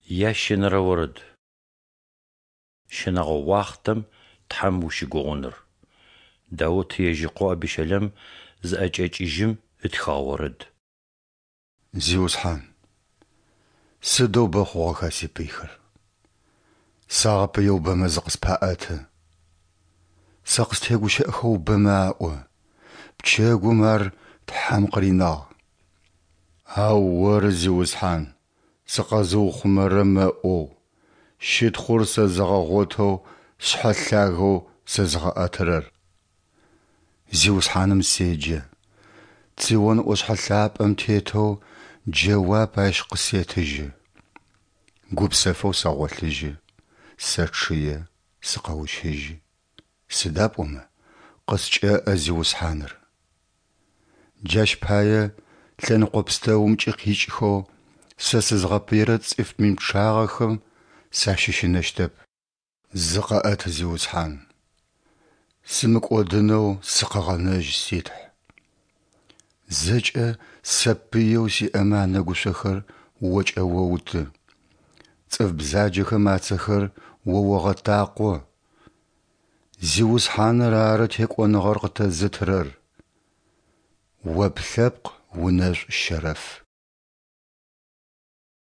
Ящэнэрэ орэд. Щынэгъо уахътэм Тхьэм ущыгугъыныр. Даут ежь ыкъо Абищэлэм зыӏэкӏэкӏыжьым ытхыгъэ орэд. Зиусхьан, сыдэу бэ хъугъэха сипыйхэр! Сагъэпыеу бэмэ зыкъыспаӏэты. Сэ къыстегущыӏэхэу бэмэ аӏо, Пчэгум ар Тхьэм къыринагъ. Ау Оры, Зиусхьан, сыкъэзыухъумэрэ мэӏоу, щытхъур сэзыгъэгъотэу сшъхьэ лъагэу сэзыгъэӏэтырэр. Зиусхьаным седжэ, Цион ӏошъхьэ лъапӏэм тетэу джэуап Ащ къысетыжьы. Гупсэфэу сэгъолъыжьы, сэчъые, сыкъэущыжьы, сыда пӏомэ къыскӏэӏэ Зиусхьаныр. Джащ пае лъэныкъо пстэумкӏи къикӏхэу сэ сызгъэпыирэ цӏыф мин пчъагъэхэм сащыщынэщтэп. Зыкъэӏэт, Зиусхьан! Сымыкӏодынэу сыкъэгъэнэжь, си Тхь! Зэкӏэ сэ пыеу сиӏэмэ анэгушъохэр О кӏэоуты, цӏыф бзаджэхэм ацэхэр О огъэтакъо. Зиусхьаныр ары текӏоныгъэр къытэзытырэр. О плъэпкъ унэшӏу щэрэф.